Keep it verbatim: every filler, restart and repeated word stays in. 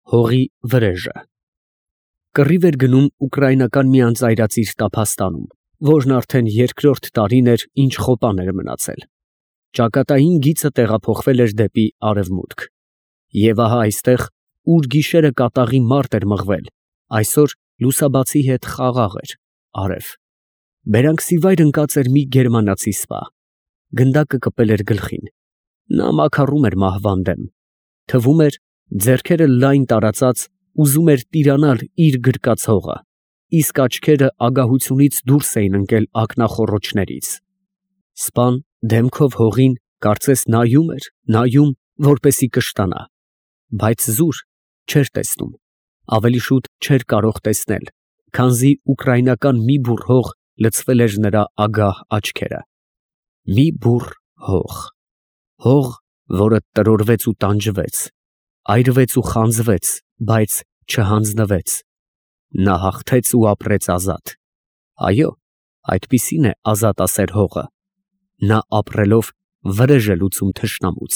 Հողի վրեժը Կռիվ էր գնում ուկրաինական մի անծայրածիր տափաստանում, որն արդեն երկրորդ տարին էր, ինչ խոպան էր մնացել. ճակատային գիծը տեղափոխվել էր դեպի արևմուտք, և ահա այստեղ, ուր գիշերը կատաղի մարտ էր մղվել, այսօր լուսաբացի հետ խաղաղ էր, արև. բերանքսիվայր ընկած էր մի գերմանացի սպա, գնդակը կպել էր գլխին, նա մաքառում էր մահվան դեմ, թվում էր, ձեռքերը լայն տարածած, ուզում էր տիրանալ իր գրկած հողը, իսկ աչքերը ագահությունից դուրս էին ընկել ակնախոռոչներից. սպան դեմքով հողին, կարծես նայում էր, նայում, որպեսզի կշտանա, բայց զուր չէր տեսնում, ավելի շուտ չէր կարող տեսնել, քանզի ուկրաինական մի բուռ հող լցվել էր նրա ագահ աչքերը, մի բուռ հող, հող, որը տրորվեց ու տանջվեց, այրվեց ու խանձվեց, բայց չհանձնվեց, նա հաղթեց ու ապրեց ազատ, այո, այդպիսին է ազատասեր հողը, նա ապրելով վրեժ է լուծում թշնամուց։